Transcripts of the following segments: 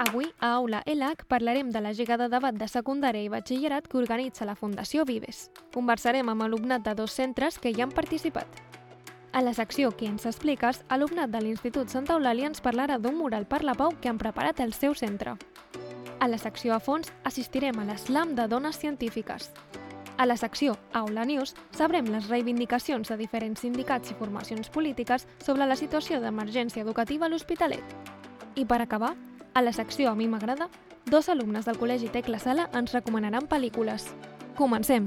Avui, a Aula ELAC, parlarem de la Lliga de Debat de Secundària i Batxillerat que organitza la Fundació Vives. Conversarem amb alumnat de 2 centres que hi han participat. A la secció Qui ens expliques, alumnat de l'Institut Santa Eulàlia ens parlarà d'un mural per la pau que han preparat al seu centre. A la secció A fons assistirem a l'Slam de Dones Científiques. A la secció Aula News sabrem les reivindicacions de diferents sindicats i formacions polítiques sobre la situació d'emergència educativa a l'Hospitalet. I per acabar, a la secció A mi m'agrada, 2 alumnes del Col·legi Tecla Sala ens recomanaran pel·lícules. Comencem!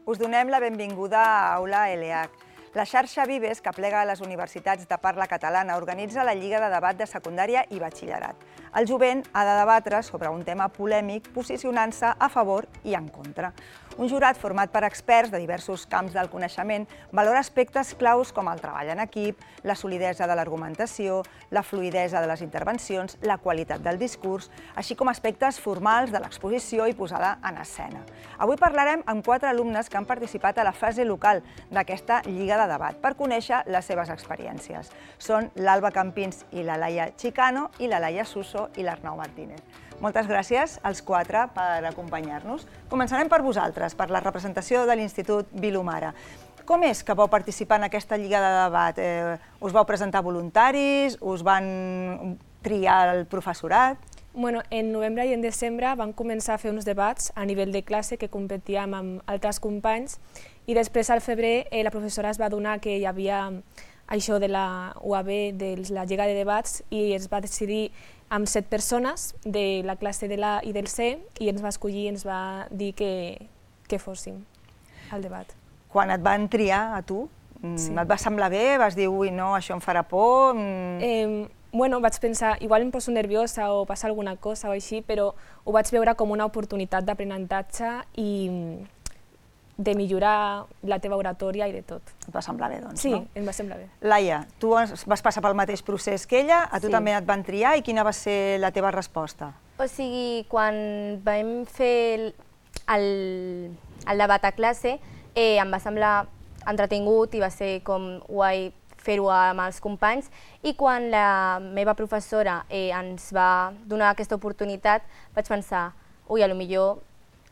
Us donem la benvinguda a Aula ELAC. La xarxa Vives, que aplega les universitats de parla catalana, organitza la Lliga de Debat de Secundària i Batxillerat. El jovent ha de debatre sobre un tema polèmic posicionant-se a favor i en contra. Un jurat format per experts de diversos camps del coneixement valora aspectes claus com el treball en equip, la solidesa de l'argumentació, la fluïdesa de les intervencions, la qualitat del discurs, així com aspectes formals de l'exposició i posada en escena. Avui parlarem amb 4 alumnes que han participat a la fase local d'aquesta Lliga de Debat per conèixer les seves experiències. Són l'Alba Campins i la Laia Chicano i la Laia Suso i l'Arnau Martínez. Moltes gràcies als 4 per acompanyar-nos. Començarem per vosaltres, per la representació de l'Institut Vilomara. Com és que vau participar en aquesta Lliga de Debat? Us vau presentar voluntaris? Us van triar el professorat? En novembre i en desembre vam començar a fer uns debats a nivell de classe que competíem amb altres companys i després al febrer la professora es va adonar que hi havia això de la UAB, de la Lliga de Debats, i es va decidir amb 7 persones de la classe de l'A i del C i ens va escollir i ens va dir que fóssim al debat. Quan et van triar a tu, et va semblar bé? Vas dir, ui, no, això em farà por? Vaig pensar, igual em poso nerviosa o passa alguna cosa o així, però ho vaig veure com una oportunitat d'aprenentatge i de millorar la teva oratòria i de tot. Et va semblar bé, doncs, no? Sí, em va semblar bé. Laia, tu vas passar pel mateix procés que ella, a tu també et van triar, i quina va ser la teva resposta? O sigui, quan vam fer el debat a classe, em va semblar entretingut i va ser com guai fer-ho amb els companys, i quan la meva professora ens va donar aquesta oportunitat vaig pensar, ui, potser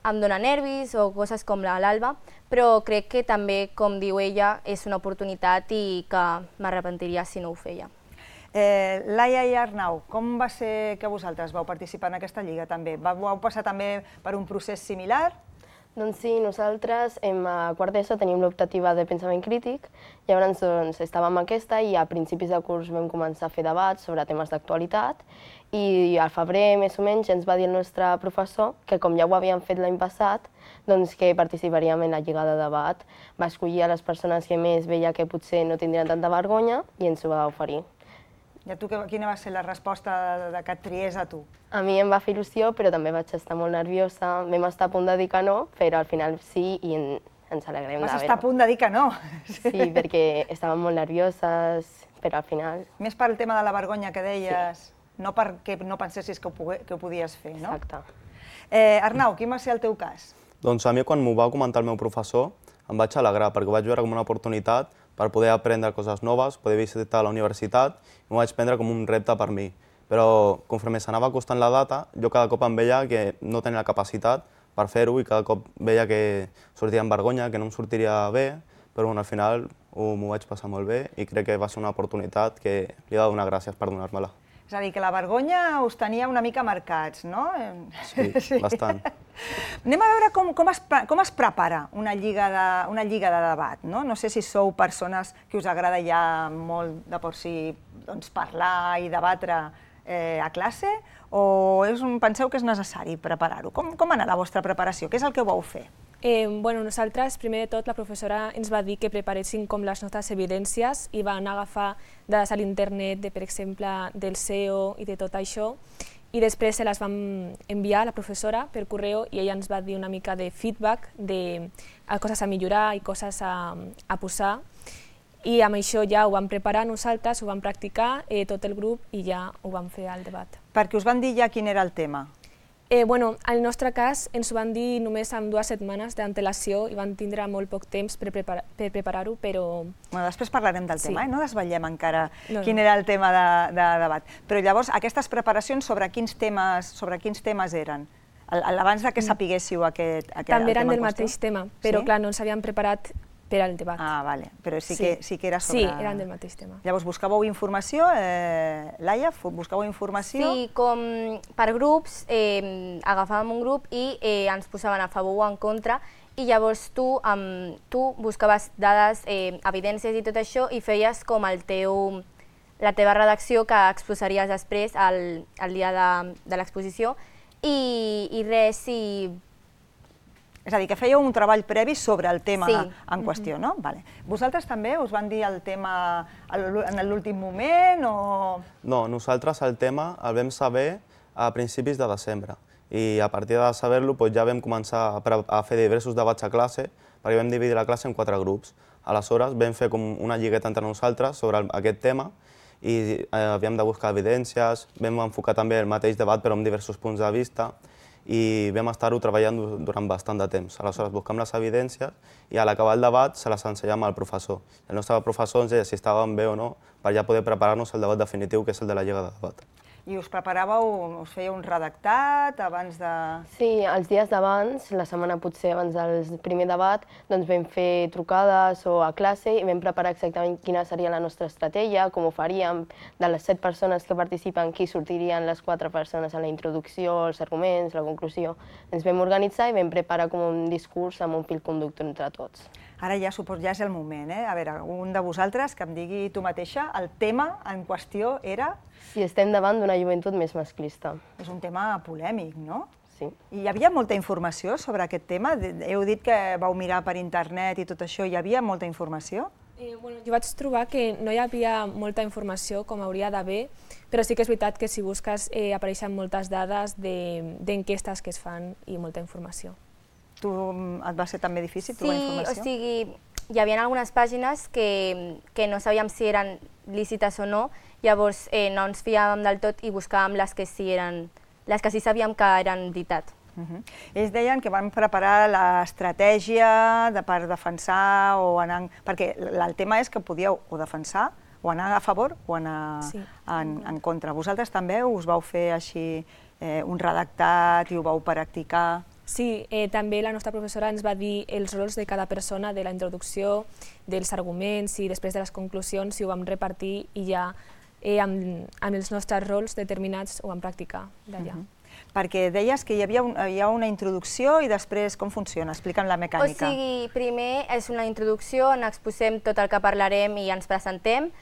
em dóna nervis o coses com l'Alba, però crec que també, com diu ella, és una oportunitat i que m'arrepentiria si no ho feia. Laia i Arnau, com va ser que vosaltres vau participar en aquesta lliga també? Vau passar també per un procés similar? Doncs sí, nosaltres a quart d'ESO tenim l'optativa de pensament crític, llavors estàvem aquesta i a principis de curs vam començar a fer debats sobre temes d'actualitat i al febrer, més o menys, ens va dir el nostre professor que com ja ho havíem fet l'any passat, doncs que participaríem en la lliga de debat. Va escollir a les persones que més veia que potser no tindrien tanta vergonya i ens ho va oferir. I a tu quina va ser la resposta que et triés a tu? A mi em va fer il·lusió, però també vaig estar molt nerviosa. Vam estar a punt de dir que no, però al final sí i ens alegrem de veure. Vas estar a punt de dir que no? Sí, perquè estàvem molt nervioses, però al final... Més pel tema de la vergonya que deies, no perquè no pensessis que ho podies fer, no? Exacte. Arnau, quin va ser el teu cas? Doncs a mi, quan m'ho va comentar el meu professor, em vaig alegrar, perquè ho vaig veure com una oportunitat per poder aprendre coses noves, poder visitar la universitat, i m'ho vaig prendre com un repte per mi. Però conforme s'anava acostant la data, jo cada cop em veia que no tenia la capacitat per fer-ho i cada cop veia que sortia amb vergonya, que no em sortiria bé, però al final m'ho vaig passar molt bé i crec que va ser una oportunitat que li he de donar gràcies per donar-me-la. És a dir, que la vergonya us tenia una mica marcats, no? Sí, bastant. Anem a veure com es prepara una lliga de debat, no? No sé si sou persones que us agrada ja molt de per si parlar i debatre a classe o penseu que és necessari preparar-ho? Com anar la vostra preparació? Què és el que vau fer? Nosaltres, primer de tot, la professora ens va dir que preparéssim com les nostres evidències i van agafar dades a l'internet, per exemple, del SEO i de tot això, i després se les vam enviar a la professora per correu i ella ens va dir una mica de feedback de coses a millorar i coses a posar, i amb això ja ho vam preparar nosaltres, ho vam practicar tot el grup i ja ho vam fer al debat. Perquè us van dir ja quin era el tema? Al nostre cas ens ho van dir només amb 2 setmanes d'antelació i van tindre molt poc temps per preparar-ho, però... Després parlarem del tema, no desvetllem encara quin era el tema de debat. Però llavors, aquestes preparacions sobre quins temes eren? Abans que sapiguéssiu aquest tema en qüestió? També eren del mateix tema, però clar, no ens havíem preparat per al debat. Ah, vale, però sí que era sobre... Sí, eren del mateix tema. Llavors, buscàveu informació, Laia, buscàveu informació? Sí, com per grups, agafàvem un grup i ens posaven a favor o en contra, i llavors tu buscaves dades, evidències i tot això, i feies com la teva redacció que exposaries després al dia de l'exposició, i res, És a dir, que fèieu un treball previ sobre el tema en qüestió, no? Vosaltres també us van dir el tema en l'últim moment o...? No, nosaltres el tema el vam saber a principis de desembre i a partir de saber-lo ja vam començar a fer diversos debats a classe perquè vam dividir la classe en 4 grups. Aleshores vam fer com una lligueta entre nosaltres sobre aquest tema i havíem de buscar evidències, vam enfocar també el mateix debat però amb diversos punts de vista i vam estar-ho treballant durant bastant de temps. Aleshores buscam les evidències i a l'acabar el debat se les ensenyàvem al professor. El nostre professor ens deia si estàvem bé o no per ja poder preparar-nos el debat definitiu, que és el de la lliga de debat. I us preparàveu, us fèieu un redactat abans de...? Sí, els dies d'abans, la setmana potser abans del primer debat, doncs vam fer trucades o a classe i vam preparar exactament quina seria la nostra estratègia, com ho faríem, de les 7 persones que participen, qui sortirien les 4 persones en la introducció, els arguments, la conclusió. Ens vam organitzar i vam preparar com un discurs amb un fil conductor entre tots. Ara ja suposo ja és el moment, A veure, un de vosaltres que em digui tu mateixa, el tema en qüestió era... Si estem davant d'una joventut més masclista. És un tema polèmic, no? Sí. I hi havia molta informació sobre aquest tema? Heu dit que vau mirar per internet i tot això, hi havia molta informació? Jo vaig trobar que no hi havia molta informació com hauria d'haver, però sí que és veritat que si busques apareixen moltes dades d'enquestes que es fan i molta informació. Tu et va ser també difícil trobar informació? Sí, o sigui, hi havia algunes pàgines que no sabíem si eren lícites o no, llavors no ens fiàvem del tot i buscàvem les que sí sabíem que eren veritat. Ells deien que van preparar l'estratègia per defensar o anar... Perquè el tema és que podíeu o defensar, o anar a favor o anar en contra. Vosaltres també us vau fer així un redactat i ho vau practicar? Sí, també la nostra professora ens va dir els rols de cada persona, de la introducció, dels arguments i després de les conclusions, i ho vam repartir i ja amb els nostres rols determinats ho vam practicar d'allà. Perquè deies que hi ha una introducció i després com funciona? Explica'm la mecànica. O sigui, primer és una introducció on exposem tot el que parlarem i ens presentem,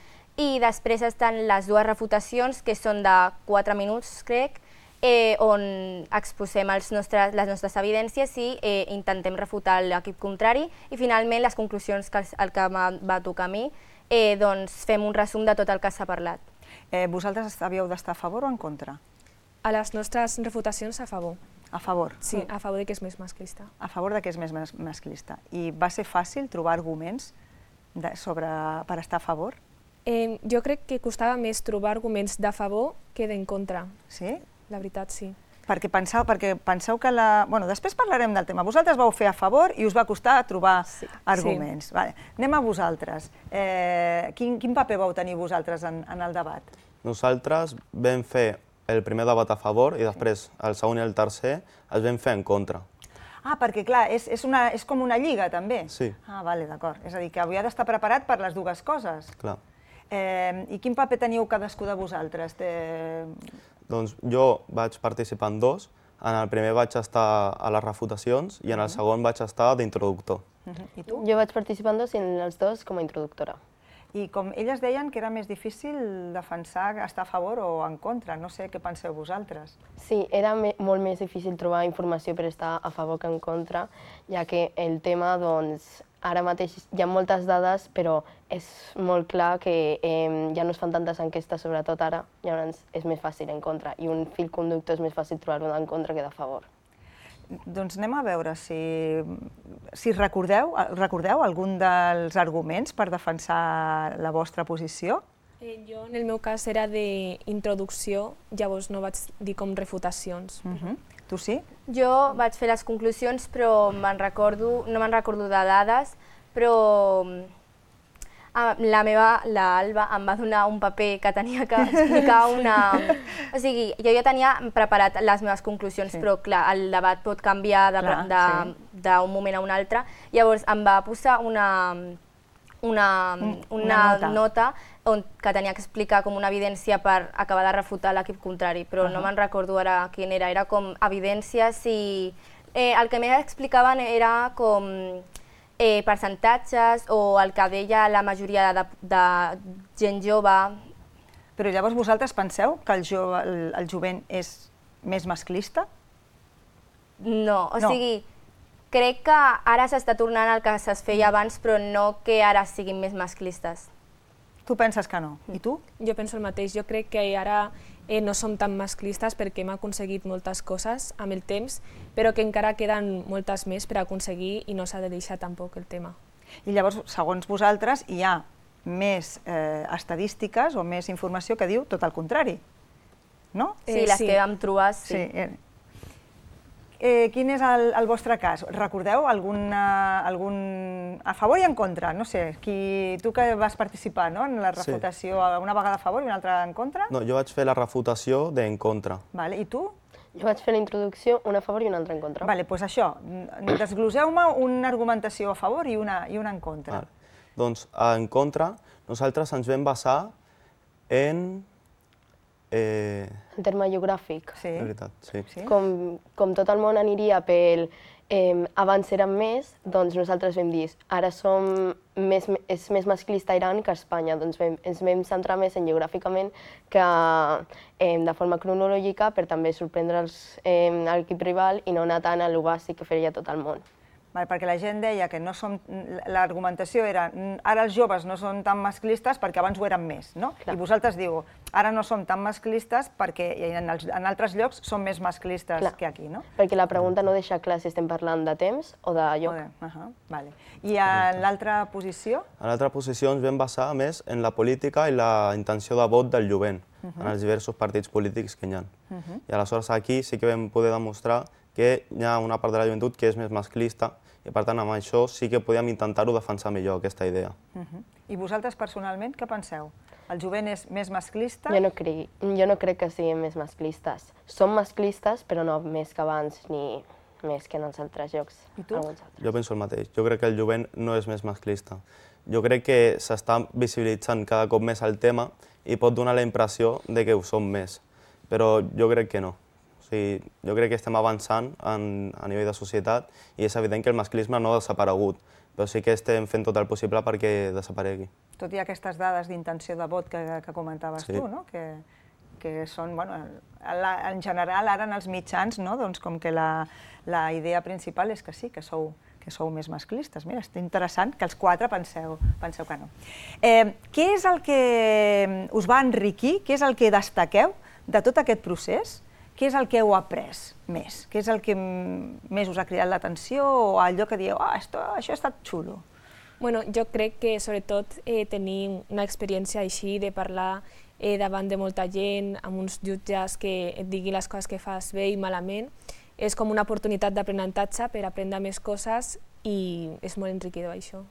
i després estan les 2 refutacions, que són de 4 minuts, crec, on exposem les nostres evidències i intentem refutar l'equip contrari, i finalment les conclusions, que el que va tocar a mi, doncs fem un resum de tot el que s'ha parlat. Vosaltres havíeu d'estar a favor o en contra? A les nostres refutacions a favor. A favor? Sí, a favor que és més masclista. A favor que és més masclista. I va ser fàcil trobar arguments per estar a favor? Jo crec que costava més trobar arguments de favor que d'en contra. Sí? La veritat, sí. Perquè penseu que després parlarem del tema. Vosaltres vau fer a favor i us va costar trobar arguments. Anem a vosaltres. Quin paper vau tenir vosaltres en el debat? Nosaltres vam fer el primer debat a favor i després el segon i el tercer els vam fer en contra. Ah, perquè clar, és com una lliga també? Sí. Ah, d'acord. És a dir, que havia d'estar preparat per les dues coses. Clar. I quin paper teniu cadascú de vosaltres? Doncs jo vaig participar en 2. En el primer vaig estar a les refutacions i en el segon vaig estar d'introductor. I tu? Jo vaig participar en 2 i en els 2 com a introductora. I com elles deien que era més difícil defensar, estar a favor o en contra. No sé què penseu vosaltres. Sí, era molt més difícil trobar informació per estar a favor que en contra, ja que el tema, doncs, ara mateix hi ha moltes dades, però és molt clar que ja no es fan tantes enquestes, sobretot ara, llavors és més fàcil en contra, i un fil conductor és més fàcil trobar-ho en contra que de favor. Doncs anem a veure si recordeu algun dels arguments per defensar la vostra posició. Jo, en el meu cas, era d'introducció, llavors no vaig dir com refutacions. Tu sí? Jo vaig fer les conclusions, però no me'n recordo de dades, però l'Alba em va donar un paper que tenia que explicar O sigui, jo ja tenia preparat les meves conclusions, però clar, el debat pot canviar d'un moment a un altre. Llavors em va posar una nota que tenia que explicar com una evidència per acabar de refutar l'equip contrari, però no me'n recordo ara quin era. Era com evidències i el que més explicaven era com percentatges o el que deia la majoria de gent jove. Però llavors vosaltres penseu que el jovent és més masclista? No, o sigui, crec que ara s'està tornant el que es feia abans, però no que ara siguin més masclistes. Tu penses que no. I tu? Jo penso el mateix. Jo crec que ara no som tan masclistes perquè hem aconseguit moltes coses amb el temps, però que encara queden moltes més per aconseguir i no s'ha de deixar tampoc el tema. I llavors, segons vosaltres, hi ha més estadístiques o més informació que diu tot el contrari, no? Sí, les que vam trobar, sí. Quin és el vostre cas? Recordeu algun a favor i en contra? No sé, tu que vas participar en la refutació, una vegada a favor i una altra en contra? No, jo vaig fer la refutació d'en contra. I tu? Jo vaig fer la introducció, una a favor i una altra en contra. Doncs això, desgloseu-me una argumentació a favor i una en contra. Doncs en contra, nosaltres ens vam basar en... En terme geogràfic. Sí. De veritat, sí. Com tot el món aniria pel abans érem més, doncs nosaltres vam dir ara és més masclista Iran que Espanya, doncs ens vam centrar més en geogràficament que de forma cronològica per també sorprendre l'equip rival i no anar tant a lo bàsic que feia tot el món. Perquè la gent deia que l'argumentació era ara els joves no són tan masclistes perquè abans ho eren més, no? I vosaltres diu ara no som tan masclistes perquè en altres llocs som més masclistes que aquí, no? Perquè la pregunta no deixa clar si estem parlant de temps o de lloc. I en l'altra posició? En l'altra posició ens vam basar més en la política i la intenció de vot del jovent en els diversos partits polítics que hi ha. I aleshores aquí sí que vam poder demostrar que hi ha una part de la joventut que és més masclista i per tant amb això sí que podíem intentar-ho defensar millor, aquesta idea. I vosaltres personalment què penseu? El jovent és més masclista? Jo no crec que siguin més masclistes. Som masclistes però no més que abans ni més que en els altres llocs. I tu? Jo penso el mateix. Jo crec que el jovent no és més masclista. Jo crec que s'està visibilitzant cada cop més el tema i pot donar la impressió de que ho som més, però jo crec que no. Jo crec que estem avançant a nivell de societat i és evident que el masclisme no ha desaparegut, però sí que estem fent tot el possible perquè desaparegui. Tot i aquestes dades d'intenció de vot que comentaves tu, que són, en general, ara en els mitjans, com que la idea principal és que sí, que sou més masclistes. Mira, és interessant que els quatre penseu que no. Què és el que us va enriquir, què és el que destaqueu de tot aquest procés? Què és el que heu après més? Què és el que més us ha cridat l'atenció o allò que dieu, això ha estat xulo? Jo crec que sobretot tenir una experiència així de parlar davant de molta gent, amb uns jutges que et diguin les coses que fas bé i malament, és com una oportunitat d'aprenentatge per aprendre més coses i és molt enriquidor això.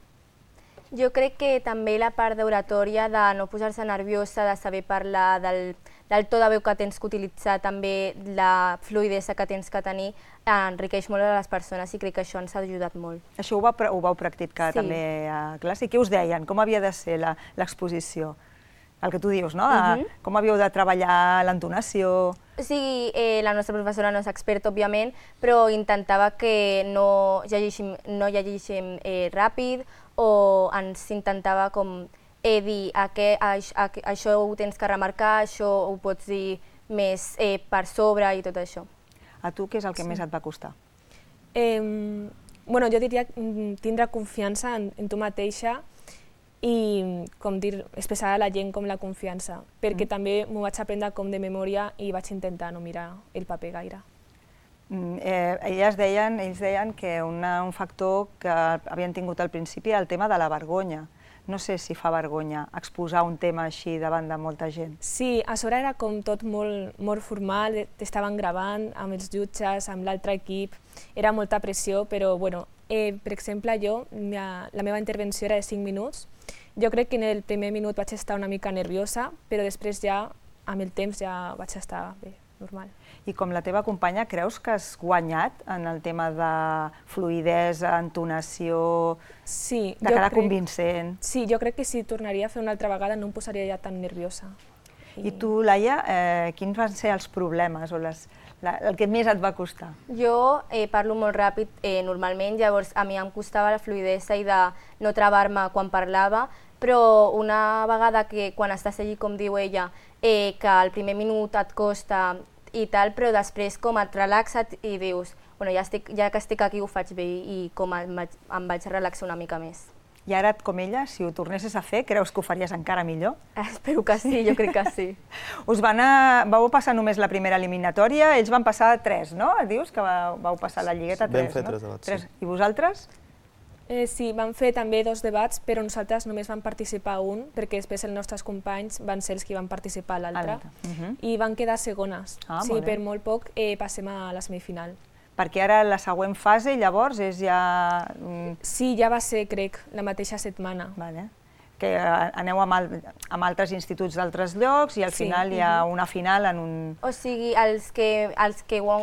Jo crec que també la part d'oratòria, de no posar-se nerviosa, de saber parlar, del to de veu que tens que utilitzar, també la fluïdesa que tens que tenir, enriqueix molt a les persones i crec que això ens ha ajudat molt. Això ho vau practicar també a classe. I què us deien? Com havia de ser l'exposició? El que tu dius, no? Com havíeu de treballar l'entonació? Sí, la nostra professora no és experta, òbviament, però intentava que no llegíssim ràpid o ens intentava com dir això ho tens que remarcar, això ho pots dir més per sobre i tot això. A tu què és el que més et va costar? Jo diria tindre confiança en tu mateixa i, com dir, expressar a la gent com la confiança, perquè també m'ho vaig aprendre com de memòria i vaig intentar no mirar el paper gaire. Ells deien que un factor que havien tingut al principi era el tema de la vergonya, no sé si fa vergonya exposar un tema així davant de molta gent. Sí, a sobre era com tot molt formal, t'estaven gravant amb els jutges, amb l'altre equip, era molta pressió, però bueno, per exemple, la meva intervenció era de 5 minuts. Jo crec que en el primer minut vaig estar una mica nerviosa, però després ja, amb el temps, ja vaig estar bé, normal. I com la teva companya, creus que has guanyat en el tema de fluïdesa, entonació, de cara convincent? Sí, jo crec que si tornaria a fer una altra vegada no em posaria ja tan nerviosa. I tu, Laia, quins van ser els problemes o el que més et va costar? Jo parlo molt ràpid normalment, llavors a mi em costava la fluïdesa i de no travar-me quan parlava, però una vegada que quan estàs allí, com diu ella, que al primer minut et costa i tal, però després com et relaxes i dius, bueno, ja que estic aquí ho faig bé i com em vaig relaxar una mica més. I ara, com ella, si ho tornessis a fer, creus que ho faries encara millor? Espero que sí, jo crec que sí. Vau passar només la primera eliminatòria, ells van passar 3, no? Dius que vau passar la lligueta 3, no? Vam fer 3 debats, sí. I vosaltres? Sí, vam fer també 2 debats, però nosaltres només vam participar un, perquè després els nostres companys van ser els que van participar a l'altre, i van quedar segones. Sí, per molt poc passem a la semifinal. Perquè ara la següent fase, llavors, és ja... Sí, ja va ser, crec, la mateixa setmana. Que aneu amb altres instituts d'altres llocs i al final hi ha una final en un... O sigui, els que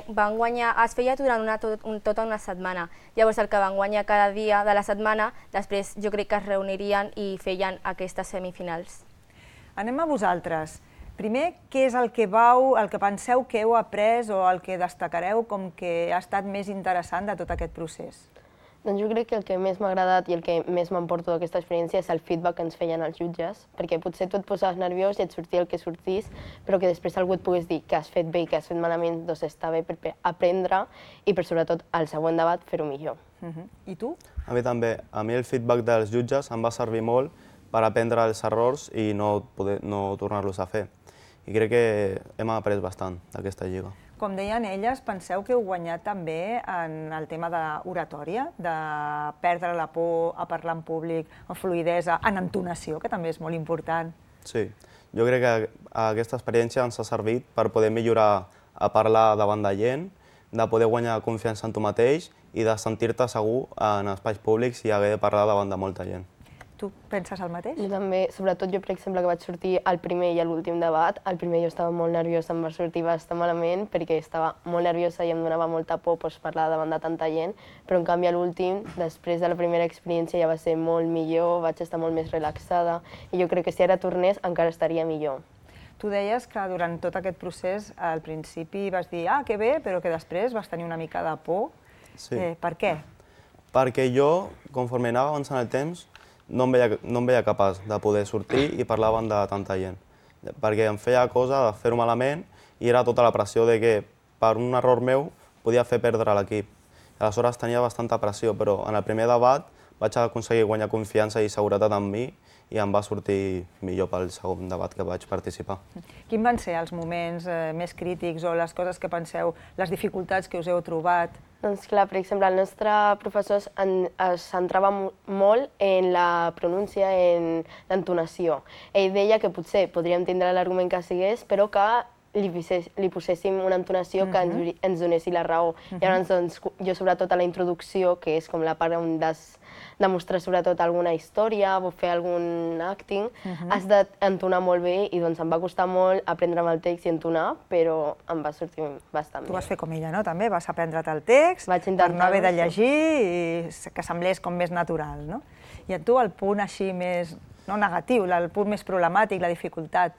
van guanyar es feia durant tota una setmana. Llavors el que van guanyar cada dia de la setmana, després jo crec que es reunirien i feien aquestes semifinals. Anem a vosaltres. Primer, què és el que penseu que heu après o el que destacareu com que ha estat més interessant de tot aquest procés? Doncs jo crec que el que més m'ha agradat i el que més m'emporto d'aquesta experiència és el feedback que ens feien els jutges, perquè potser tu et posaves nerviós i et sortia el que sortís, però que després algú et pogués dir que has fet bé i que has fet malament, doncs està bé per aprendre i per sobretot al següent debat fer-ho millor. I tu? A mi també. A mi el feedback dels jutges em va servir molt per aprendre els errors i no tornar-los a fer. I crec que hem après bastant d'aquesta lliga. Com deien elles, penseu que heu guanyat també en el tema d'oratòria, de perdre la por a parlar en públic, en fluïdesa, en entonació, que també és molt important. Sí, jo crec que aquesta experiència ens ha servit per poder millorar a parlar davant de gent, de poder guanyar confiança en tu mateix i de sentir-te segur en espais públics i haver de parlar davant de molta gent. Tu penses el mateix? Jo també, sobretot jo, per exemple, que vaig sortir al primer i a l'últim debat. Al primer jo estava molt nerviosa, em va sortir bastant malament perquè estava molt nerviosa i em donava molta por parlar davant de tanta gent, però en canvi a l'últim, després de la primera experiència ja va ser molt millor, vaig estar molt més relaxada i jo crec que si ara tornés encara estaria millor. Tu deies que durant tot aquest procés al principi vas dir que bé, però que després vas tenir una mica de por. Sí. Per què? Perquè jo, conforme anava avançant el temps, no em veia capaç de poder sortir i parlar davant de tanta gent. Perquè em feia cosa de fer-ho malament i era tota la pressió de que per un error meu podia fer perdre l'equip. Aleshores tenia bastanta pressió, però en el primer debat vaig aconseguir guanyar confiança i seguretat en mi i em va sortir millor pel segon debat que vaig participar. Quins van ser els moments més crítics o les coses que penseu, les dificultats que us heu trobat? Doncs clar, per exemple, el nostre professor es centrava molt en la pronúncia, en l'entonació. Ell deia que potser podríem tindre l'argument que sigués, però que li poséssim una entonació que ens donessi la raó. Llavors, doncs, jo sobretot a la introducció, que és com la part on has de mostrar sobretot alguna història o fer algun acting, has d'entonar molt bé i doncs em va costar molt aprendre'm el text i entonar, però em va sortir bastant bé. Tu vas fer com ella, no? També vas aprendre't el text per no haver de llegir i que semblés com més natural, no? I a tu el punt així més, no negatiu, el punt més problemàtic, la dificultat?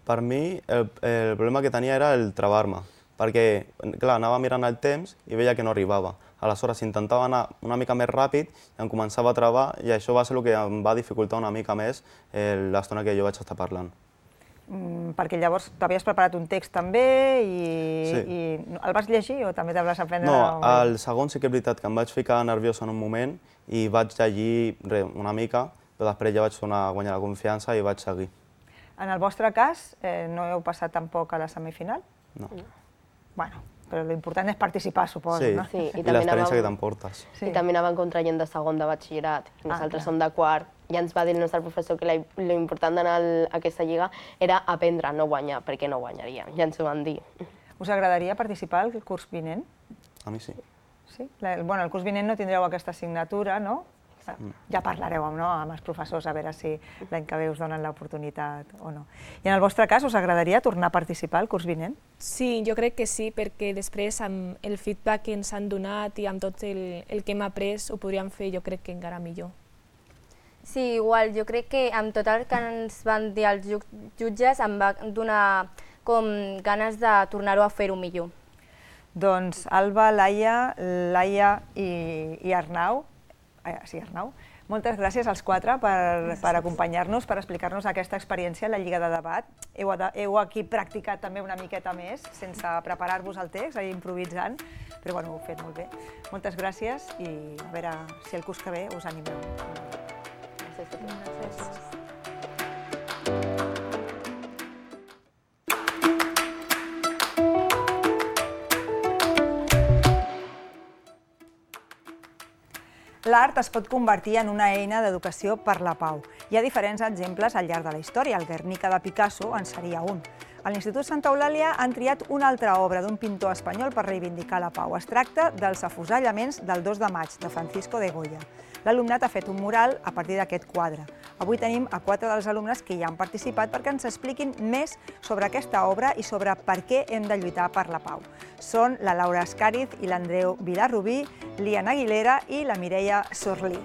Per mi el problema que tenia era el travar-me, perquè clar, anava mirant el temps i veia que no arribava. Aleshores intentava anar una mica més ràpid i em començava a travar i això va ser el que em va dificultar una mica més l'estona que jo vaig estar parlant. Perquè llavors t'havies preparat un text també i el vas llegir o també te'l vas aprendre? No, el segon sí que és veritat que em vaig ficar nerviós en un moment i vaig llegir una mica, però després ja vaig guanyar la confiança i vaig seguir. En el vostre cas, no heu passat tampoc a la semifinal? No. Bueno, però l'important és participar, suposo, no? Sí, i l'experiència que t'emportes. I també anàvem contra gent de segon de batxillerat. Nosaltres som de quart ja ens va dir el nostre professor que l'important d'anar a aquesta lliga era aprendre, no guanyar, perquè no guanyaríem, ja ens ho van dir. Us agradaria participar el curs vinent? A mi sí. Sí? Bueno, el curs vinent no tindreu aquesta assignatura, no? Ja parlareu amb els professors a veure si l'any que ve us donen l'oportunitat o no. I en el vostre cas, us agradaria tornar a participar el curs vinent? Sí, jo crec que sí, perquè després amb el feedback que ens han donat i amb tot el que hem après ho podríem fer jo crec que encara millor. Sí, igual, jo crec que amb tot el que ens van dir els jutges em va donar com ganes de tornar-ho a fer-ho millor. Doncs Alba, Laia i Arnau, Arnau, moltes gràcies als quatre per acompanyar-nos, per explicar-nos aquesta experiència a la Lliga de Debat. Heu aquí practicat també una miqueta més, sense preparar-vos el text, improvisant, però ho heu fet molt bé. Moltes gràcies i a veure si el curs que ve us animeu. Gràcies. L'art es pot convertir en una eina d'educació per la pau. Hi ha diferents exemples al llarg de la història. El Guernica de Picasso en seria un. A l'Institut Santa Eulàlia han triat una altra obra d'un pintor espanyol per reivindicar la pau. Es tracta dels afusellaments del 2 de maig, de Francisco de Goya. L'alumnat ha fet un mural a partir d'aquest quadre. Avui tenim a 4 dels alumnes que hi han participat perquè ens expliquin més sobre aquesta obra i sobre per què hem de lluitar per la pau. Són la Laura Escàriz i l'Andreu Vilarrubí, l'Ian Aguilera i la Mireia Sorlí.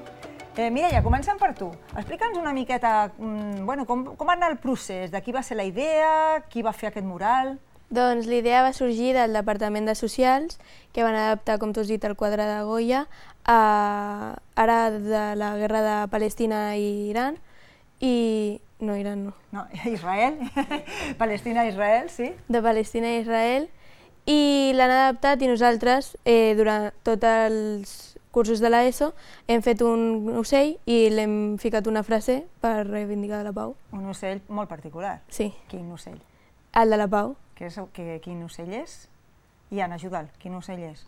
Mireia, comencem per tu. Explica'ns una miqueta com va anar el procés, de qui va ser la idea, qui va fer aquest mural. Doncs l'idea va sorgir del Departament de Socials, que van adaptar, com tu has dit, el quadre de Goya, ara de la guerra de Palestina i Iran, i... no, Iran no. No, Israel, Palestina i Israel, sí. De Palestina i Israel, i l'han adaptat i nosaltres, durant tots els cursos de l'ESO, hem fet un ocell i l'hem ficat una frase per reivindicar la pau. Un ocell molt particular. Sí. Quin ocell? El de la pau. Quin ocell és? Ian, ajuda'l, quin ocell és?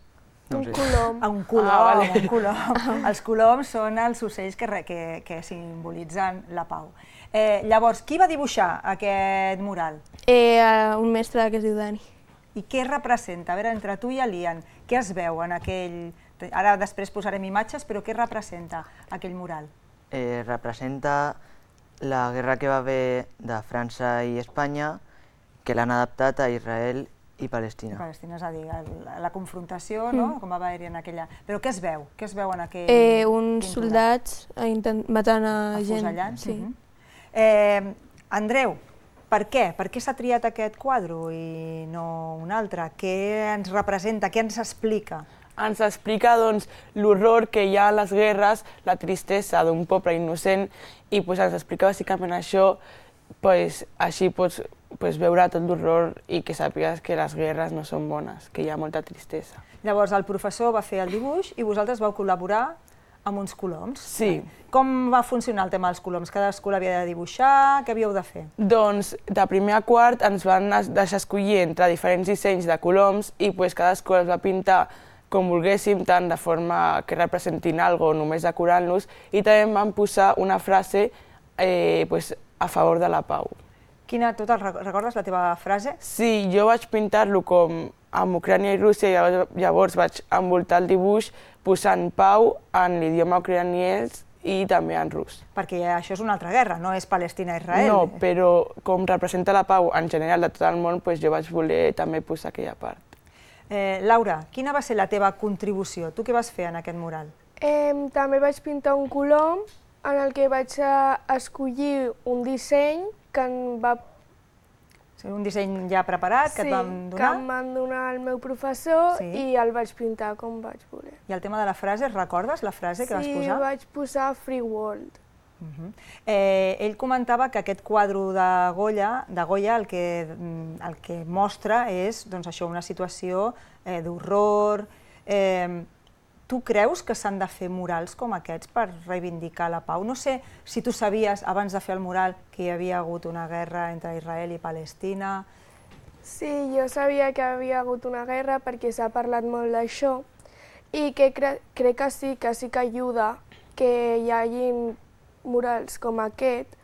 Un colom. Un colom, un colom. Els coloms són els ocells que simbolitzen la pau. Llavors, qui va dibuixar aquest mural? Un mestre que es diu Dani. I què representa? A veure, entre tu i l'Ian, què es veu en aquell... Ara després posarem imatges, però què representa aquell mural? Representa la guerra que va haver de França i Espanya, que l'han adaptat a Israel i Palestina. Palestina, és a dir, la confrontació, no?, com va haver-hi en aquella... Però què es veu? Què es veu en aquell... Uns soldats matant a gent. Afusellant? Sí. Andreu, per què? Per què s'ha triat aquest quadre i no un altre? Què ens representa? Què ens explica? Ens explica l'horror que hi ha a les guerres, la tristesa d'un poble innocent i ens explica bàsicament això, així pots veure tot l'horror i que sàpigues que les guerres no són bones, que hi ha molta tristesa. Llavors el professor va fer el dibuix i vosaltres vau col·laborar amb uns coloms. Sí. Com va funcionar el tema dels coloms? Cadascú l'havia de dibuixar? Què havíeu de fer? Doncs de primer a quart ens van deixar escollir entre diferents dissenys de coloms i cadascú els va pintar com volguéssim, tant de forma que representin alguna cosa, només decorant-los, i també vam posar una frase a favor de la pau. Recordes la teva frase? Sí, jo vaig pintar-lo com amb Ucrània i Rússia i llavors vaig envoltar el dibuix posant pau en l'idioma ucraniès i també en rus. Perquè això és una altra guerra, no és Palestina-Israel. No, però com representa la pau en general de tot el món, jo vaig voler també posar aquella part. Laura, quina va ser la teva contribució? Tu què vas fer en aquest mural? També vaig pintar un colom en el que vaig escollir un disseny que em va... Un disseny ja preparat que et van donar? Sí, que em van donar el meu professor i el vaig pintar com vaig voler. I el tema de la frase, recordes la frase que vas posar? Sí, vaig posar Free World. Ell comentava que aquest quadre de Goya el que mostra és una situació d'horror. Tu creus que s'han de fer murals com aquests per reivindicar la pau? No sé si tu sabies, abans de fer el mural, que hi havia hagut una guerra entre Israel i Palestina. Sí, jo sabia que havia hagut una guerra perquè s'ha parlat molt d'això i que crec que sí que ajuda que hi hagi murals com aquest,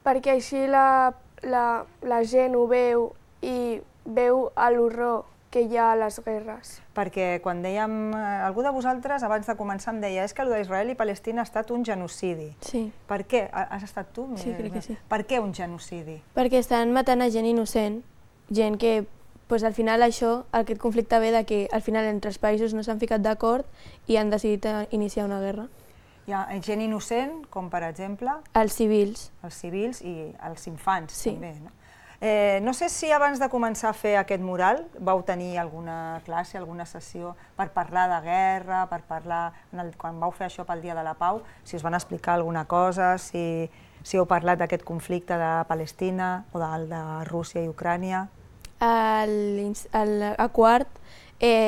perquè així la gent ho veu i veu l'horror que hi ha a les guerres. Perquè quan dèiem, algú de vosaltres abans de començar em deia és que el d'Israel i Palestina ha estat un genocidi. Sí. Per què? Has estat tu? Sí, crec que sí. Per què un genocidi? Perquè estan matant a gent innocent, gent que al final aquest conflicte ve que al final entre els països no s'han ficat d'acord i han decidit iniciar una guerra. Hi ha gent innocent, com per exemple? Els civils. Els civils i els infants també, no? No sé si abans de començar a fer aquest mural vau tenir alguna classe, alguna sessió per parlar de guerra, per parlar, quan vau fer això pel Dia de la Pau, si us van explicar alguna cosa, si heu parlat d'aquest conflicte de Palestina o del de Rússia i Ucrània. A quart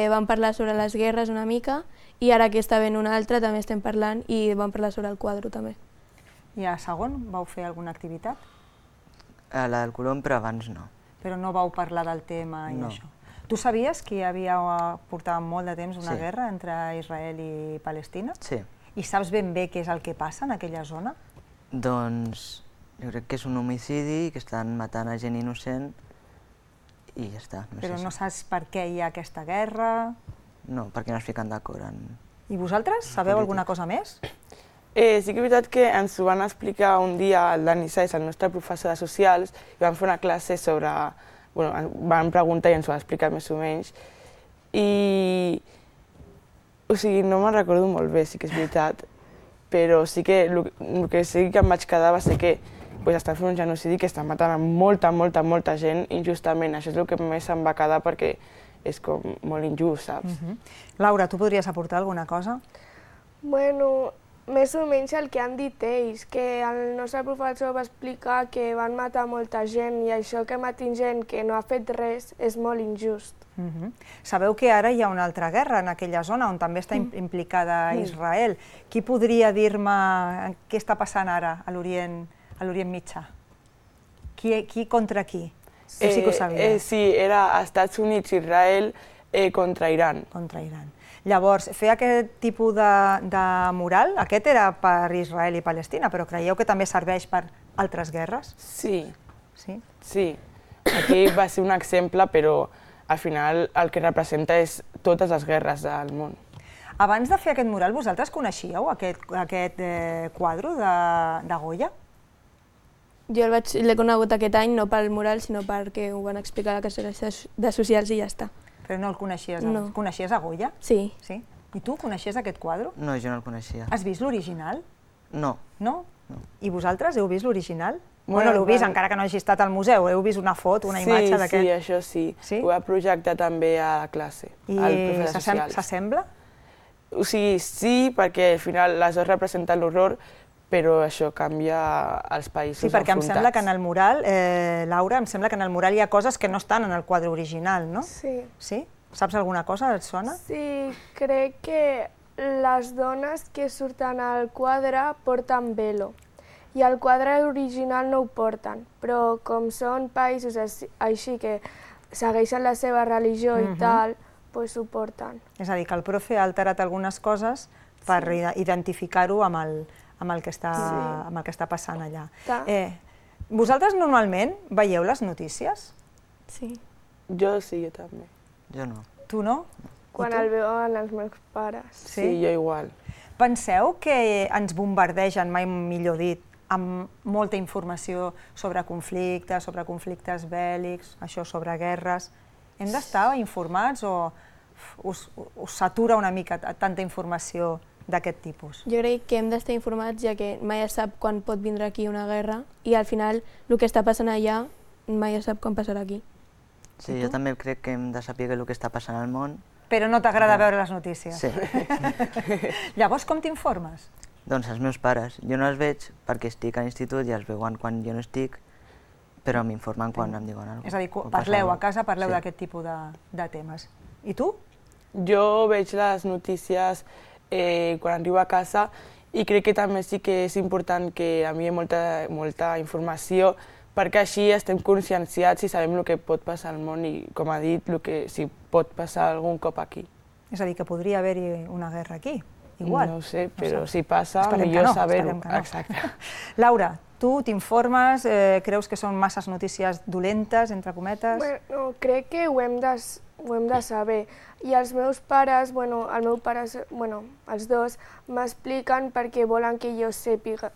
vam parlar sobre les guerres una mica i ara que està ben una altra també estem parlant i vam parlar sobre el quadre també. I a segon vau fer alguna activitat? A la del Colom, però abans no. Però no vau parlar del tema i això? Tu sabies que hi havia, portava molt de temps, una guerra entre Israel i Palestina? Sí. I saps ben bé què és el que passa en aquella zona? Doncs jo crec que és un homicidi, que estan matant a gent innocent i ja està. Però no saps per què hi ha aquesta guerra? No, perquè no es fiquen d'acord en... I vosaltres sabeu alguna cosa més? Sí que és veritat que ens ho van explicar un dia el Dani Saez, el nostre professor de socials, i vam fer una classe sobre... Vam preguntar i ens ho va explicar més o menys. I... O sigui, no me'n recordo molt bé, sí que és veritat, però sí que el que sí que em vaig quedar va ser que estan fent un genocidi que estan matant a molta gent injustament. Això és el que més em va quedar perquè és com molt injust, saps? Laura, tu podries aportar alguna cosa? Bueno, més o menys el que han dit ells, que el nostre professor va explicar que van matar molta gent i això que matin gent que no ha fet res és molt injust. Sabeu que ara hi ha una altra guerra en aquella zona on també està implicada Israel. Qui podria dir-me què està passant ara a l'Orient Mitjà? Qui contra qui? Sí que ho sabia. Sí, era Estats Units i Israel contra Iran. Contra Iran. Llavors, fer aquest tipus de mural, aquest era per Israel i Palestina, però creieu que també serveix per altres guerres? Sí. Sí? Sí. Aquí va ser un exemple, però al final el que representa és totes les guerres del món. Abans de fer aquest mural, vosaltres coneixíeu aquest quadre de Goya? Jo l'he conegut aquest any, no pel mural, sinó perquè ho van explicar a la classe de socials i ja està. Però no el coneixies? No. Coneixies a Goya? Sí. Sí? I tu coneixies aquest quadre? No, jo no el coneixia. Has vist l'original? No. No? I vosaltres heu vist l'original? Bueno, l'heu vist, encara que no hagi estat al museu, heu vist una foto, una imatge d'aquest? Sí, això sí. Ho va projectar també a la classe, al profe de socials. I s'assembla? O sigui, sí, perquè al final les dues representen l'horror, però això canvia als països enfrontats. Sí, perquè em sembla que en el mural, Laura, em sembla que en el mural hi ha coses que no estan en el quadre original, no? Sí. Sí? Saps alguna cosa? Et sona? Sí, crec que les dones que surten al quadre porten velo i el quadre original no ho porten, però com són països així que segueixen la seva religió i tal, doncs ho porten. És a dir, que el profe ha alterat algunes coses per identificar-ho amb el que està passant allà. Vosaltres normalment veieu les notícies? Sí. Jo sí, jo també. Jo no. Tu no? Quan el veuen els meus pares. Sí, jo igual. Penseu que ens bombardegen, mai millor dit, amb molta informació sobre conflictes bèl·lics, això sobre guerres. Hem d'estar informats o us satura una mica tanta informació d'aquest tipus? Jo crec que hem d'estar informats, ja que mai es sap quan pot vindre aquí una guerra i al final el que està passant allà mai es sap quan passarà aquí. Sí, jo també crec que hem de saber el que està passant al món. Però no t'agrada veure les notícies? Sí. Llavors, com t'informes? Doncs els meus pares. Jo no els veig perquè estic a l'institut i els veuen quan jo no estic, però m'informen quan em diuen alguna cosa. És a dir, parleu a casa, parleu d'aquest tipus de temes. I tu? Jo veig les notícies quan arribo a casa i crec que també sí que és important que enviï molta informació perquè així estem conscienciats i sabem el que pot passar al món i, com ha dit, si pot passar algun cop aquí. És a dir, que podria haver-hi una guerra aquí. igual. No ho sé, però si passa, millor saber-ho. Exacte. Laura, tu t'informes, creus que són masses notícies dolentes, entre cometes? Bueno, crec que ho hem de saber. I els meus pares, el meu pare, els dos, m'expliquen perquè volen que jo sàpiga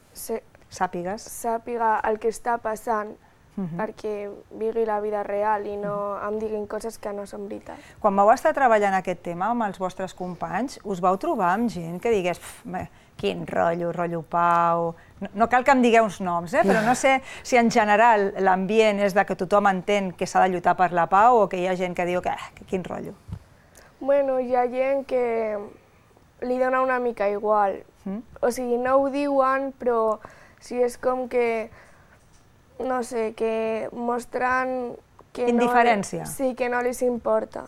el que està passant, perquè vigui la vida real i no em diguin coses que no són veritat. Quan vau estar treballant aquest tema amb els vostres companys, us vau trobar amb gent que digués quin rotllo Pau... No cal que em digueu uns noms, però no sé si en general l'ambient és de que tothom entén que s'ha de lluitar per la pau o que hi ha gent que diu que quin rotllo. Bueno, hi ha gent que li dona una mica igual. O sigui, no ho diuen, però sí és com que, no sé, que mostren que indiferència. Sí, que no els importa.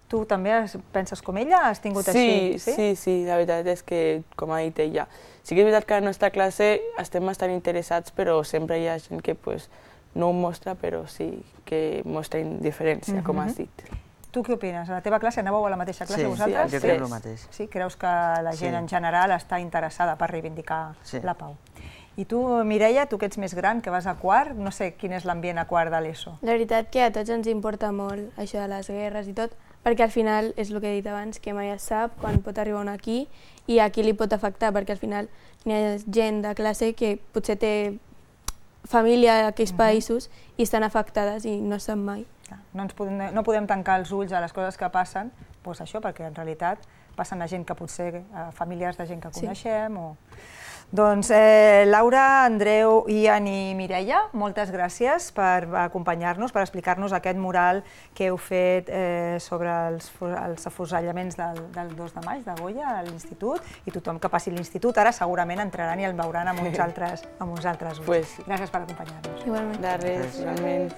Tu també penses com ella? Has tingut així? Sí, la veritat és que, com ha dit ella, sí que és veritat que a la nostra classe estem bastant interessats, però sempre hi ha gent que no ho mostra, però sí que mostra indiferència, com has dit. Tu què opines? A la teva classe anàveu a la mateixa classe vosaltres? Sí, jo crec el mateix. Sí? Creus que la gent en general està interessada per reivindicar la pau? I tu, Mireia, tu que ets més gran, que vas a quart, no sé quin és l'ambient a quart de l'ESO. La veritat que a tots ens importa molt això de les guerres i tot, perquè al final, és el que he dit abans, que mai es sap quan pot arribar un aquí i a qui li pot afectar, perquè al final hi ha gent de classe que potser té família a aquells països i estan afectades i no sap mai. No podem tancar els ulls a les coses que passen, doncs això, perquè en realitat passen a gent que potser, famílies de gent que coneixem o... Doncs Laura, Andreu, Ian i Mireia, moltes gràcies per acompanyar-nos, per explicar-nos aquest mural que heu fet sobre els afusellaments del 2 de maig de Goya a l'institut, i tothom que passi l'institut ara segurament entraran i el veuran amb uns altres ulls. Gràcies per acompanyar-nos. Igualment. De res, igualment.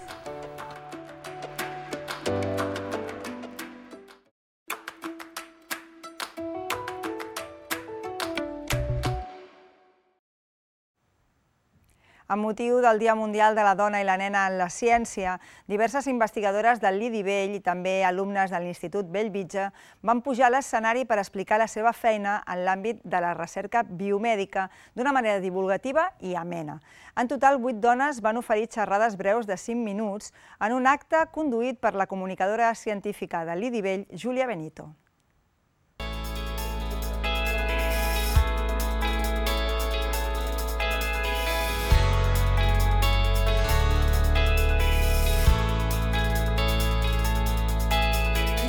Amb motiu del Dia Mundial de la Dona i la Nena en la Ciència, diverses investigadores del Lidi Vell i també alumnes de l'Institut Bellvitge van pujar a l'escenari per explicar la seva feina en l'àmbit de la recerca biomèdica d'una manera divulgativa i amena. En total, 8 dones van oferir xerrades breus de 5 minuts en un acte conduït per la comunicadora científica del Lidi Vell, Júlia Benito.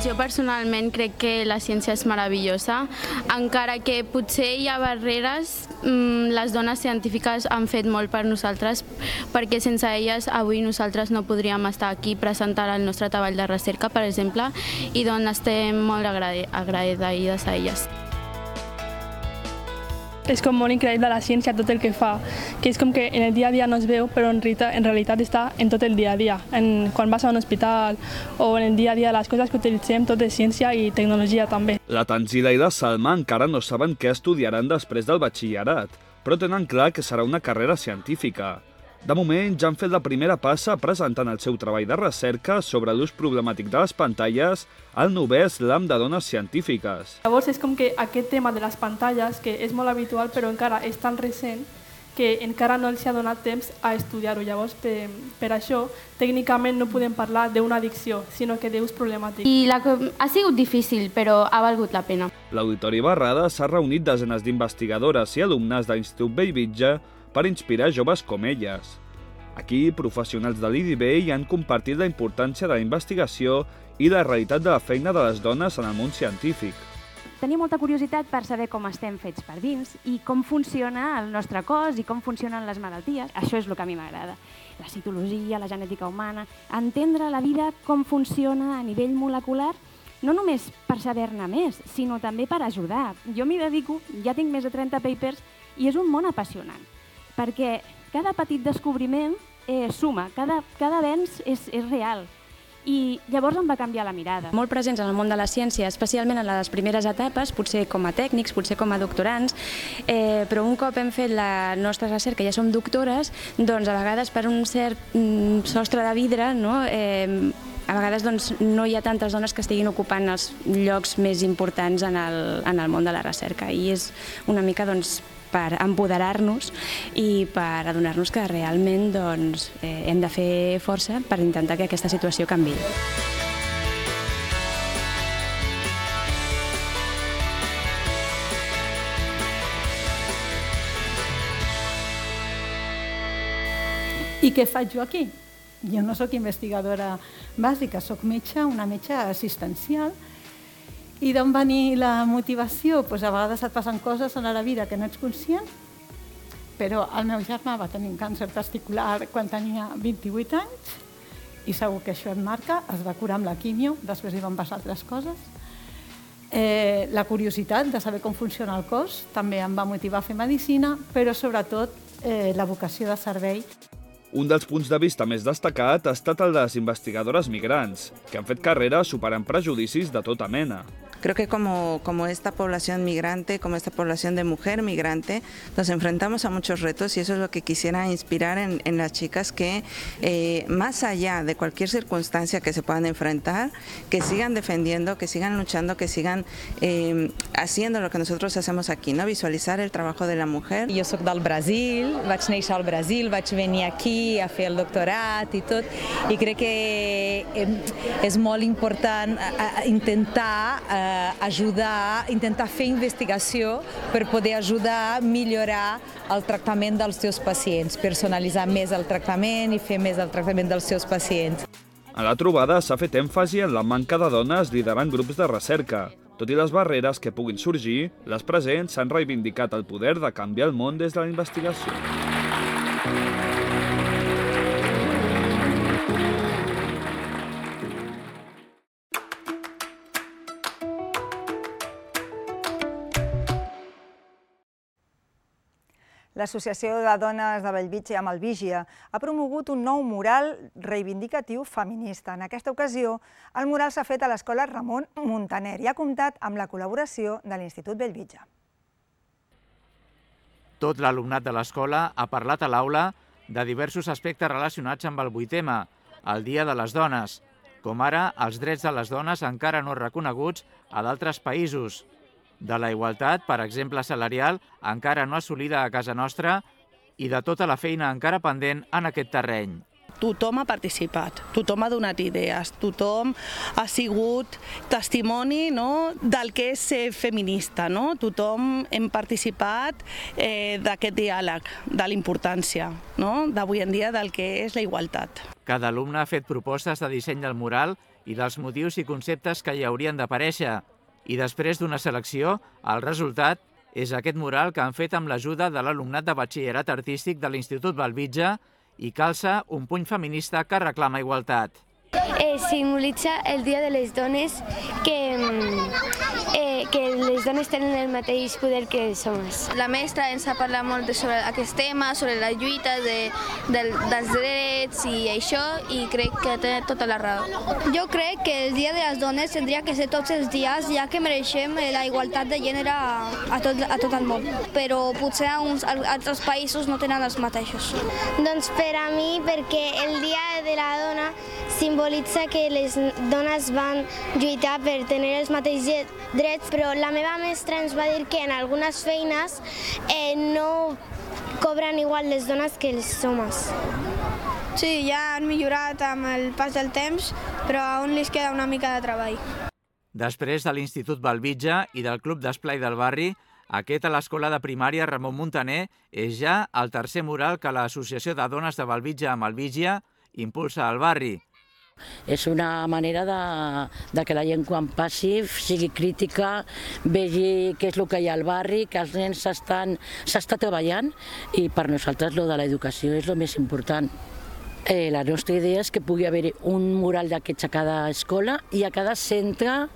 Jo personalment crec que la ciència és meravellosa, encara que potser hi ha barreres, les dones científiques han fet molt per nosaltres, perquè sense elles avui nosaltres no podríem estar aquí presentant el nostre treball de recerca, per exemple, i doncs estem molt agraïdes a elles. És com molt increïble la ciència, tot el que fa, que és com que en el dia a dia no es veu, però en realitat està en tot el dia a dia. Quan vas a un hospital o en el dia a dia, les coses que utilitzem, tot és ciència i tecnologia també. La Tanzila i la Salma encara no saben què estudiaran després del batxillerat, però tenen clar que serà una carrera científica. De moment ja han fet la primera passa presentant el seu treball de recerca sobre l'ús problemàtic de les pantalles al 9è Slam de Dones Científiques. Llavors és com que aquest tema de les pantalles, que és molt habitual però encara és tan recent, que encara no els ha donat temps a estudiar-ho. Llavors, per això, tècnicament no podem parlar d'una addicció, sinó que d'ús problemàtic. Ha sigut difícil, però ha valgut la pena. L'Auditori Barrada s'ha reunit desenes d'investigadores i alumnes de l'Institut Bellvitge per inspirar joves com elles. Aquí, professionals de l'IDB han compartit la importància de la investigació i la realitat de la feina de les dones en el món científic. Tenia molta curiositat per saber com estem fets per dins i com funciona el nostre cos i com funcionen les malalties. Això és el que a mi m'agrada. La citologia, la genètica humana, entendre la vida, com funciona a nivell molecular, no només per saber-ne més, sinó també per ajudar. Jo m'hi dedico, ja tinc més de 30 papers i és un món apassionant, perquè cada petit descobriment suma, cada avenç és real. I llavors em va canviar la mirada. Molt presents en el món de la ciència, especialment en les primeres etapes, potser com a tècnics, potser com a doctorants, però un cop hem fet la nostra recerca, ja som doctores, doncs a vegades per un cert sostre de vidre A vegades no hi ha tantes dones que estiguin ocupant els llocs més importants en el món de la recerca i és una mica per empoderar-nos i per adonar-nos que realment hem de fer força per intentar que aquesta situació canviï. I què faig jo aquí? Jo no sóc investigadora bàsica, sóc metge, una metge assistencial. I d'on va venir la motivació? A vegades et passen coses a la vida que no ets conscient, però el meu germà va tenir un càncer testicular quan tenia 28 anys i segur que això et marca, es va curar amb la quimio, després hi van passar altres coses. La curiositat de saber com funciona el cos també em va motivar a fer medicina, però sobretot la vocació de servei. Un dels punts de vista més destacat ha estat el de les investigadores migrants, que han fet carrera superant prejudicis de tota mena. Creo que como esta población migrante, como esta población de mujer migrante, nos enfrentamos a muchos retos y eso es lo que quisiera inspirar en las chicas que más allá de cualquier circunstancia que se puedan enfrentar, que sigan defendiendo, que sigan luchando, que sigan haciendo lo que nosotros hacemos aquí, ¿no? Visualizar el trabajo de la mujer. Jo soc del Brasil, vaig néixer al Brasil, vaig venir aquí a fer el doctorat i tot, i crec que és molt important intentar ajudar, intentar fer investigació per poder ajudar a millorar el tractament dels teus pacients, personalitzar més el tractament i fer més el tractament dels seus pacients. A la trobada s'ha fet èmfasi en la manca de dones liderant grups de recerca. Tot i les barreres que puguin sorgir, les presents s'han reivindicat el poder de canviar el món des de la investigació. L'Associació de Dones de Bellvitge amb el Vígia ha promogut un nou mural reivindicatiu feminista. En aquesta ocasió, el mural s'ha fet a l'Escola Ramon Muntaner i ha comptat amb la col·laboració de l'Institut Bellvitge. Tot l'alumnat de l'escola ha parlat a l'aula de diversos aspectes relacionats amb el 8M, el Dia de les Dones, com ara els drets de les dones encara no reconeguts a d'altres països, de la igualtat, per exemple salarial, encara no assolida a casa nostra i de tota la feina encara pendent en aquest terreny. Tothom ha participat, tothom ha donat idees, tothom ha sigut testimoni del que és ser feminista. Tothom hem participat d'aquest diàleg, de la importància d'avui en dia del que és la igualtat. Cada alumne ha fet propostes de disseny del mural i dels motius i conceptes que hi haurien d'aparèixer. I després d'una selecció, el resultat és aquest mural que han fet amb l'ajuda de l'alumnat de batxillerat artístic de l'Institut Bellvitge i calça un puny feminista que reclama igualtat. Simbolitza el Dia de les Dones, que les dones tenen el mateix poder que els homes. La mestra ens ha parlat molt sobre aquest tema, sobre la lluita dels drets i això, i crec que té tota la raó. Jo crec que el Dia de les Dones tindria que ser tots els dies, ja que mereixem la igualtat de gènere a tot el món, però potser altres països no tenen els mateixos. Doncs per a mi, perquè el Dia de la Dona simbolitza que les dones van lluitar per tenir els mateixos drets, però la meva mestra ens va dir que en algunes feines no cobren igual les dones que els homes. Sí, ja han millorat amb el pas del temps, però aún li queda una mica de treball. Després de l'Institut Bellvitge i del Club d'Esplai del Barri, aquest a l'Escola de Primària Ramon Muntaner és ja el tercer mural que l'Associació de Dones de Bellvitge amb el Vígia impulsa al barri. És una manera de que la gent quan passi sigui crítica, vegi què és el que hi ha al barri, que els nens s'està treballant i per nosaltres lo de l'educació és el més important. La nostra idea és que pugui haver un mural d'aquests a cada escola i a cada centre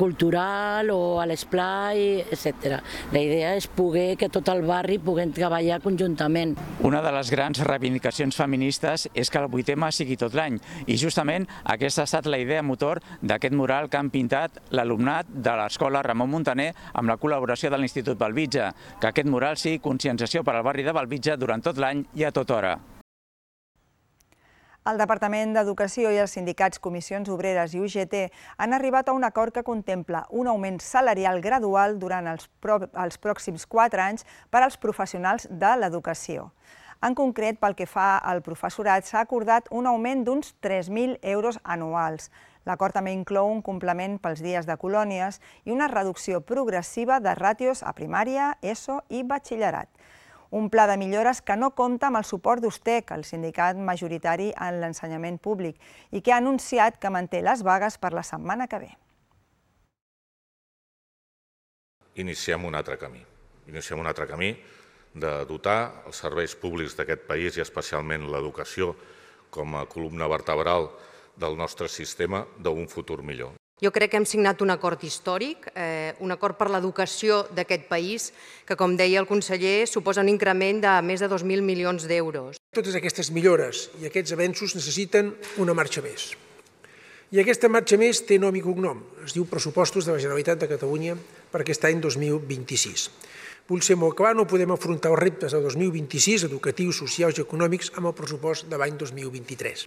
cultural o a l'esplai, etc. La idea és poder que tot el barri puguem treballar conjuntament. Una de les grans reivindicacions feministes és que el 8M sigui tot l'any i justament aquesta ha estat la idea motor d'aquest mural que han pintat l'alumnat de l'Escola Ramon Muntaner amb la col·laboració de l'Institut Bellvitge, que aquest mural sigui conscienciació per al barri de Bellvitge durant tot l'any i a tota hora. El Departament d'Educació i els sindicats Comissions Obreres i UGT han arribat a un acord que contempla un augment salarial gradual durant els pròxims 4 anys per als professionals de l'educació. En concret, pel que fa al professorat, s'ha acordat un augment d'uns 3.000 euros anuals. L'acord també inclou un complement pels dies de colònies i una reducció progressiva de ràtios a primària, ESO i batxillerat. Un pla de millores que no compta amb el suport d'USTEC, el sindicat majoritari en l'ensenyament públic, i que ha anunciat que manté les vagues per la setmana que ve. Iniciem un altre camí. Iniciem un altre camí de dotar els serveis públics d'aquest país i especialment l'educació com a columna vertebral del nostre sistema d'un futur millor. Jo crec que hem signat un acord històric, un acord per l'educació d'aquest país, que, com deia el conseller, suposa un increment de més de 2.000 milions d'euros. Totes aquestes millores i aquests avenços necessiten una marxa més. I aquesta marxa més té nom i cognom. Es diu Pressupostos de la Generalitat de Catalunya per aquest any 2026. Vull ser molt clar, no podem afrontar els reptes del 2026, educatius, socials i econòmics, amb el pressupost de l'any 2023.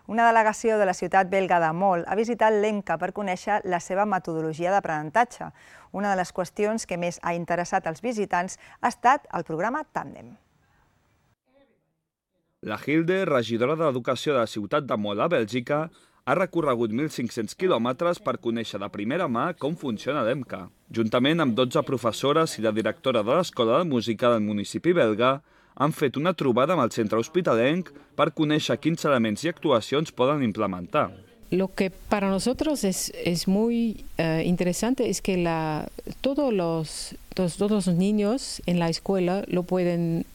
Una delegació de la ciutat belga de Mol ha visitat l'EMCA per conèixer la seva metodologia d'aprenentatge. Una de les qüestions que més ha interessat als visitants ha estat el programa Tàndem. La Hilde, regidora d'Educació de la ciutat de Mol a Bèlgica, ha recorregut 1.500 quilòmetres per conèixer de primera mà com funciona l'EMCA. Juntament amb 12 professores i la directora de l'Escola de Música del municipi belga, han fet una trobada amb el centre hospitalenc per conèixer quins elements i actuacions poden implementar. Lo que para nosotros es muy interesante es que todos los niños en la escuela lo pueden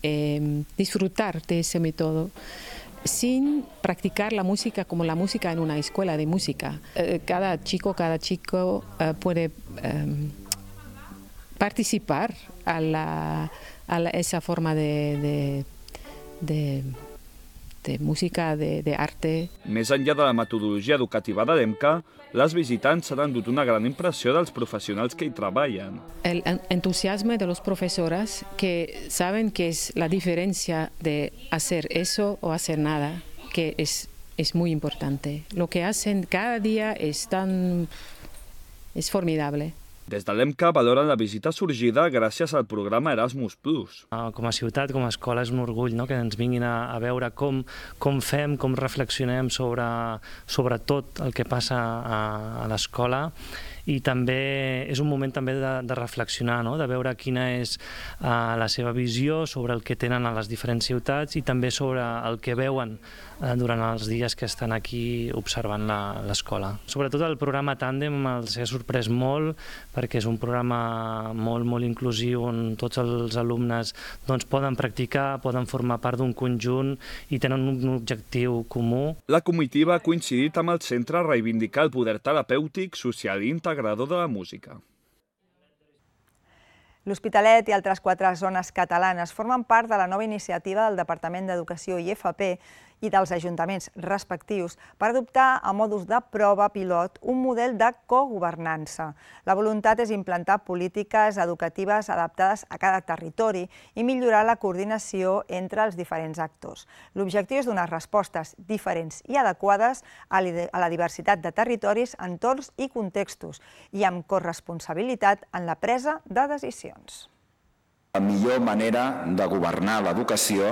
disfrutar de ese método sin practicar la música como la música en una escuela de música. Cada chico puede participar a esa forma de música, de arte. Més enllà de la metodologia educativa de l'EMCA, les visitants s'han endut una gran impressió dels professionals que hi treballen. El entusiasmo de los profesores que saben que es la diferencia de hacer eso o hacer nada, que es muy importante. Lo que hacen cada día es formidable. Des de l'EMCA valoren la visita sorgida gràcies al programa Erasmus+. Com a ciutat, com a escola, és un orgull que ens vinguin a veure com fem, com reflexionem sobre tot el que passa a l'escola, i també és un moment també de reflexionar, de veure quina és la seva visió sobre el que tenen a les diferents ciutats i també sobre el que veuen durant els dies que estan aquí observant l'escola. Sobretot el programa Tàndem els ha sorprès molt perquè és un programa molt inclusiu on tots els alumnes poden practicar, poden formar part d'un conjunt i tenen un objectiu comú. La comitiva ha coincidit amb el centre a reivindicar el poder terapèutic, social i integrador de la música. L'Hospitalet i altres 4 zones catalanes formen part de la nova iniciativa del Departament d'Educació i FP i dels ajuntaments respectius per adoptar a modus de prova pilot un model de cogovernança. La voluntat és implantar polítiques educatives adaptades a cada territori i millorar la coordinació entre els diferents actors. L'objectiu és donar respostes diferents i adequades a la diversitat de territoris, entorns i contextos i amb corresponsabilitat en la presa de decisions. La millor manera de governar l'educació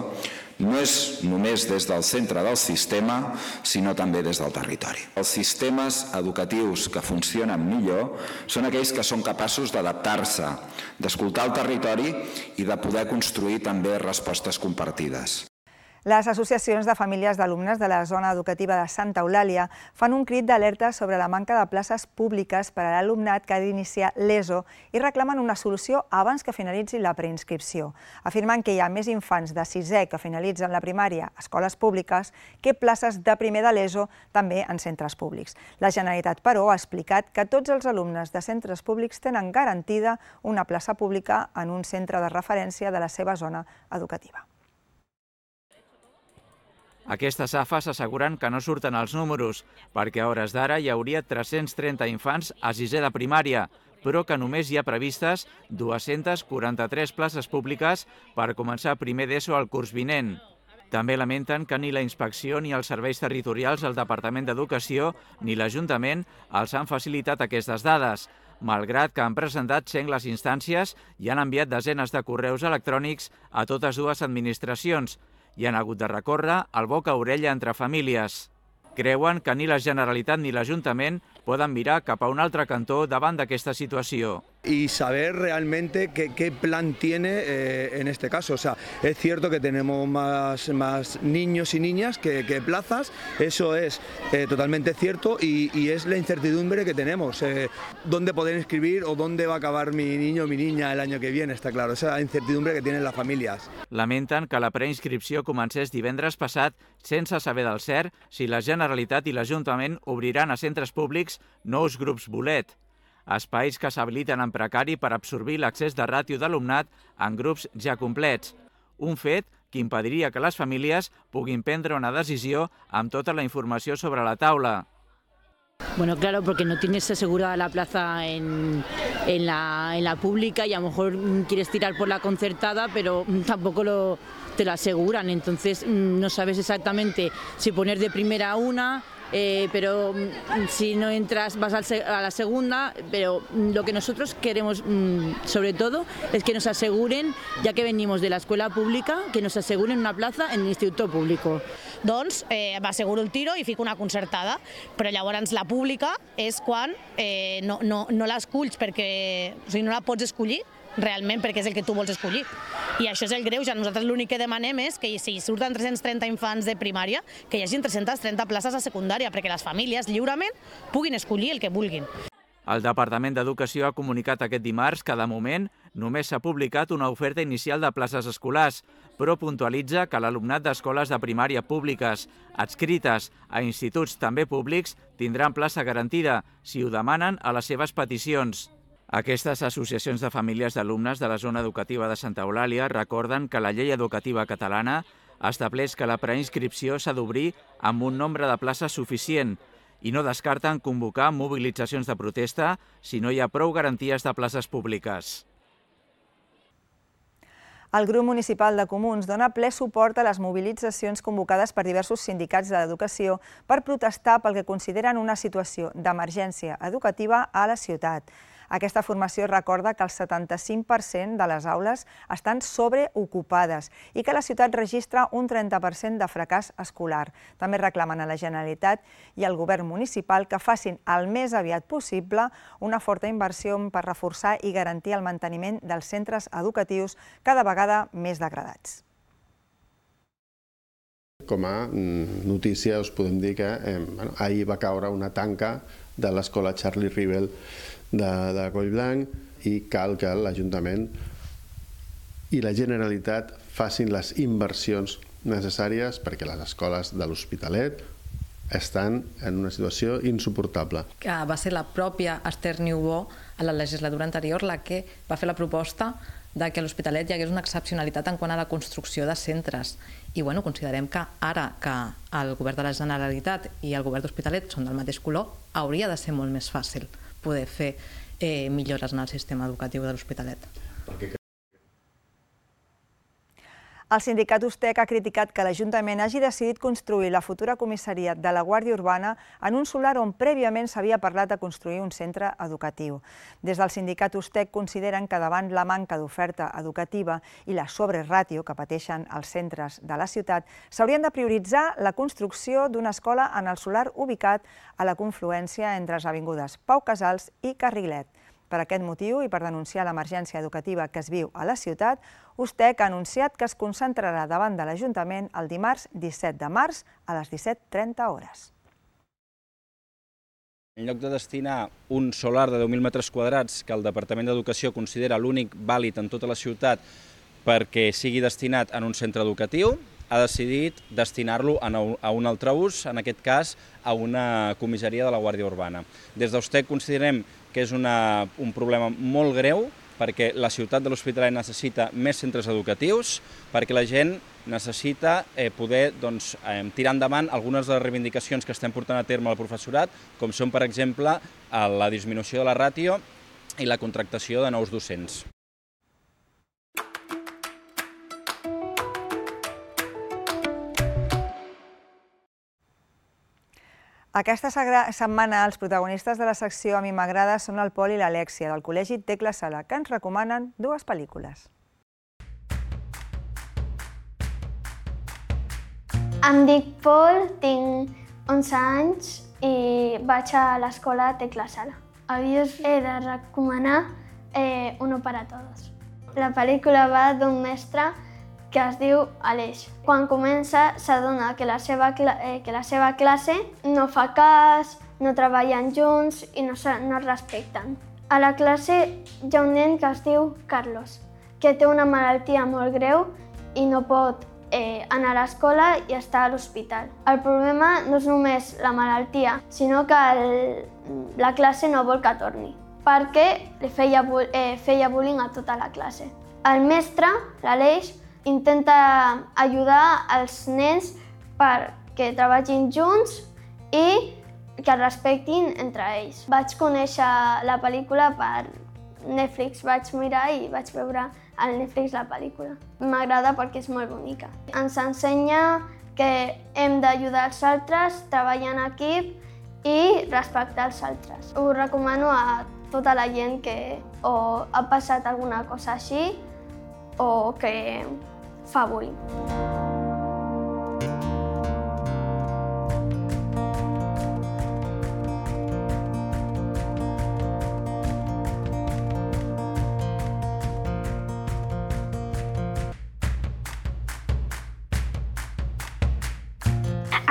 no és només des del centre del sistema, sinó també des del territori. Els sistemes educatius que funcionen millor són aquells que són capaços d'adaptar-se, d'escoltar el territori i de poder construir també respostes compartides. Les associacions de famílies d'alumnes de la zona educativa de Santa Eulàlia fan un crit d'alerta sobre la manca de places públiques per a l'alumnat que ha d'iniciar l'ESO i reclamen una solució abans que finalitzi la preinscripció. Afirmen que hi ha més infants de 6è que finalitzen la primària a escoles públiques que places de primer de l'ESO també en centres públics. La Generalitat, però, ha explicat que tots els alumnes de centres públics tenen garantida una plaça pública en un centre de referència de la seva zona educativa. Aquestes AFAs asseguren que no surten els números, perquè a hores d'ara hi hauria 330 infants a 6è de primària, però que només hi ha previstes 243 places públiques per començar primer d'ESO al curs vinent. També lamenten que ni la inspecció ni els serveis territorials del Departament d'Educació ni l'Ajuntament els han facilitat aquestes dades, malgrat que han presentat sengles instàncies i han enviat desenes de correus electrònics a totes dues administracions i han hagut de recórrer al boca a orella entre famílies. Creuen que ni la Generalitat ni l'Ajuntament poden mirar cap a un altre cantó davant d'aquesta situació. Y saber realmente qué plan tiene en este caso. O sea, es cierto que tenemos más niños y niñas que plazas, eso es totalmente cierto y es la incertidumbre que tenemos. ¿Dónde poder inscribir o dónde va a acabar mi niño o mi niña el año que viene? Está claro, esa es la incertidumbre que tienen las familias. Lamenten que la preinscripció comencés divendres passat sense saber del cert si la Generalitat i l'Ajuntament obriran a centres públics nous grups bolet, espais que s'habiliten en precari per absorbir l'accés de ràtio d'alumnat en grups ja complets, un fet que impediria que les famílies puguin prendre una decisió amb tota la informació sobre la taula. Bueno, claro, porque no tienes asegurada la plaza en la pública y a lo mejor quieres tirar por la concertada, pero tampoco te lo aseguran. Entonces no sabes exactamente si poner de primera una, pero si no entras vas a la segunda. Pero lo que nosotros queremos sobre todo es que nos aseguren, ya que venimos de la escuela pública, que nos aseguren una plaza en el instituto público. Doncs m'asseguro el tiro i fico una concertada, però llavors la pública és quan no l'esculls perquè, o sigui, no la pots escollir realment perquè és el que tu vols escollir. I això és el greuge. Nosaltres l'únic que demanem és que si surten 330 infants de primària, que hi hagi 330 places a secundària, perquè les famílies lliurement puguin escollir el que vulguin. El Departament d'Educació ha comunicat aquest dimarts que, de moment, només s'ha publicat una oferta inicial de places escolars, però puntualitza que l'alumnat d'escoles de primària públiques adscrites a instituts també públics tindran plaça garantida si ho demanen a les seves peticions. Aquestes associacions de famílies d'alumnes de la zona educativa de Santa Eulàlia recorden que la llei educativa catalana estableix que la preinscripció s'ha d'obrir amb un nombre de places suficient i no descarten convocar mobilitzacions de protesta si no hi ha prou garanties de places públiques. El grup municipal de Comuns dona ple suport a les mobilitzacions convocades per diversos sindicats de l'educació per protestar pel que consideren una situació d'emergència educativa a la ciutat. Aquesta formació recorda que el 75% de les aules estan sobreocupades i que la ciutat registra un 30% de fracàs escolar. També reclamen a la Generalitat i al govern municipal que facin el més aviat possible una forta inversió per reforçar i garantir el manteniment dels centres educatius cada vegada més degradats. Com a notícia us podem dir que ahir va caure una tanca de l'escola Charlie Rivel de Collblanc i cal que l'Ajuntament i la Generalitat facin les inversions necessàries perquè les escoles de l'Hospitalet estan en una situació insuportable. Va ser la pròpia Esther Niubó a la legislatura anterior la que va fer la proposta de que a l'Hospitalet hi hagués una excepcionalitat en quant a la construcció de centres. I considerem que ara que el govern de la Generalitat i el govern d'Hospitalet són del mateix color, hauria de ser molt més fàcil poder fer millores en el sistema educatiu de l'Hospitalet. El sindicat USTEC ha criticat que l'Ajuntament hagi decidit construir la futura comissaria de la Guàrdia Urbana en un solar on prèviament s'havia parlat de construir un centre educatiu. Des del sindicat USTEC consideren que davant la manca d'oferta educativa i la sobreràtio que pateixen els centres de la ciutat, s'haurien de prioritzar la construcció d'una escola en el solar ubicat a la confluència entre les avingudes Pau Casals i Carrilet. Per aquest motiu i per denunciar l'emergència educativa que es viu a la ciutat, USTEC ha anunciat que es concentrarà davant de l'Ajuntament el dimarts 17 de març a les 17:30 hores. En lloc de destinar un solar de 10.000 metres quadrats que el Departament d'Educació considera l'únic vàlid en tota la ciutat perquè sigui destinat en un centre educatiu, ha decidit destinar-lo a un altre ús, en aquest cas a una comissaria de la Guàrdia Urbana. Des d'USTEC considerem que és un problema molt greu perquè la ciutat de l'Hospitalet necessita més centres educatius, perquè la gent necessita poder tirar endavant algunes de les reivindicacions que estem portant a terme al professorat, com són, per exemple, la disminució de la ràtio i la contractació de nous docents. Aquesta setmana els protagonistes de la secció A mi m'agrada són el Pol i l'Alèxia, del Col·legi Tecla Sala, que ens recomanen dues pel·lícules. Em dic Pol, tinc 11 anys i vaig a l'escola Tecla Sala. Avui us he de recomanar Uno para Todos. La pel·lícula va d'un mestre que es diu Aleix. Quan comença s'adona que la seva classe no fa cas, no treballen junts i no es respecten. A la classe hi ha un nen que es diu Carlos, que té una malaltia molt greu i no pot anar a l'escola i està a l'hospital. El problema no és només la malaltia, sinó que la classe no vol que torni, perquè li feia bullying a tota la classe. El mestre, l'Aleix, intenta ajudar els nens perquè treballin junts i que es respectin entre ells. Vaig conèixer la pel·lícula per Netflix, vaig mirar i vaig veure al Netflix la pel·lícula. M'agrada perquè és molt bonica. Ens ensenya que hem d'ajudar els altres, treballar en equip i respectar els altres. Ho recomano a tota la gent que o ha passat alguna cosa així o que fa bullying.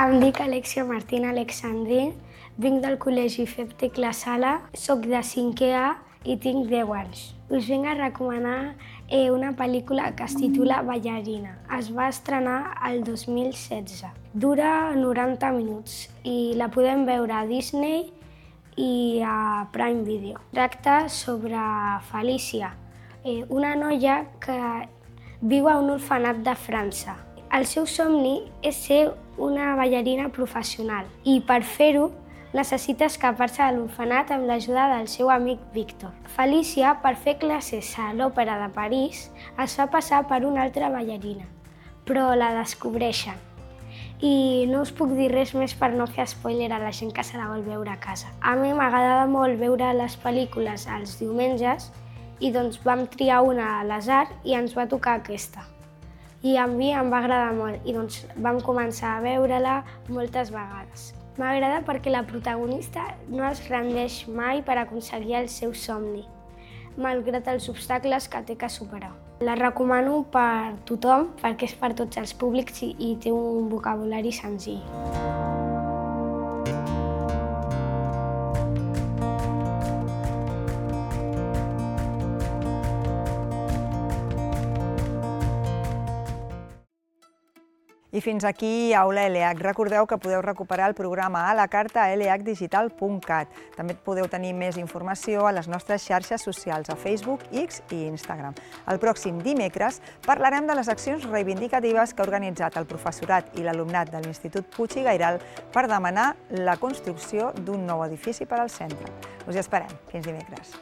Em dic Alèxia Martín Alexandrín, vinc del Col·legi FEB Tecla Sala, soc de 5è A i tinc 10 anys. Us vinc a recomanar una pel·lícula que es titula Ballarina. Es va estrenar el 2016. Dura 90 minuts i la podem veure a Disney i a Prime Video. Tracta sobre Felícia, una noia que viu a un orfenat de França. El seu somni és ser una ballarina professional i per fer-ho necessita escapar-se de l'orfenat amb l'ajuda del seu amic Víctor. Felícia, per fer classes a l'Òpera de París, es fa passar per una altra ballarina, però la descobreixen. I no us puc dir res més per no fer spoiler a la gent que se la vol veure a casa. A mi m'agrada molt veure les pel·lícules els diumenges i doncs vam triar una a l'azar i ens va tocar aquesta. I a mi em va agradar molt i doncs vam començar a veure-la moltes vegades. M'agrada perquè la protagonista no es rendeix mai per aconseguir el seu somni, malgrat els obstacles que té que superar. La recomano per tothom perquè és per tots els públics i té un vocabulari senzill. I fins aquí Aula ELEAC. Recordeu que podeu recuperar el programa a la carta a eleacdigital.cat. També podeu tenir més informació a les nostres xarxes socials, a Facebook, X i Instagram. El pròxim dimecres parlarem de les accions reivindicatives que ha organitzat el professorat i l'alumnat de l'Institut Puig i Gairal per demanar la construcció d'un nou edifici per al centre. Us hi esperem. Fins dimecres.